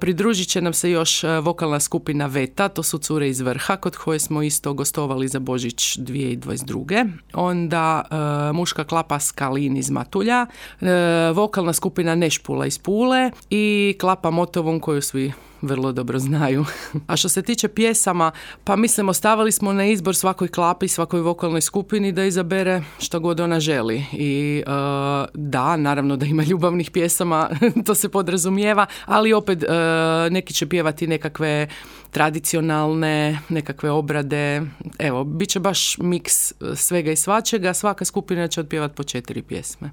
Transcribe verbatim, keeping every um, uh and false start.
pridružit će nam se još vokalna skupina Veta, to su cure iz Vrha, kod koje smo isto gostovali za Božić dvije tisuće dvadeset druge. Onda e, muška klapa Skalin iz Matulja, e, vokalna skupina Nešpula iz Pule i klapa Motovun koju svi vrlo dobro znaju. A što se tiče pjesama, pa mislim ostavili smo na izbor svakoj klapi, svakoj vokalnoj skupini da izabere što god ona želi. I uh, da, naravno da ima ljubavnih pjesama, to se podrazumijeva, ali opet uh, neki će pjevati nekakve tradicionalne, nekakve obrade. Evo, bit će baš miks svega i svačega, svaka skupina će otpjevati po četiri pjesme.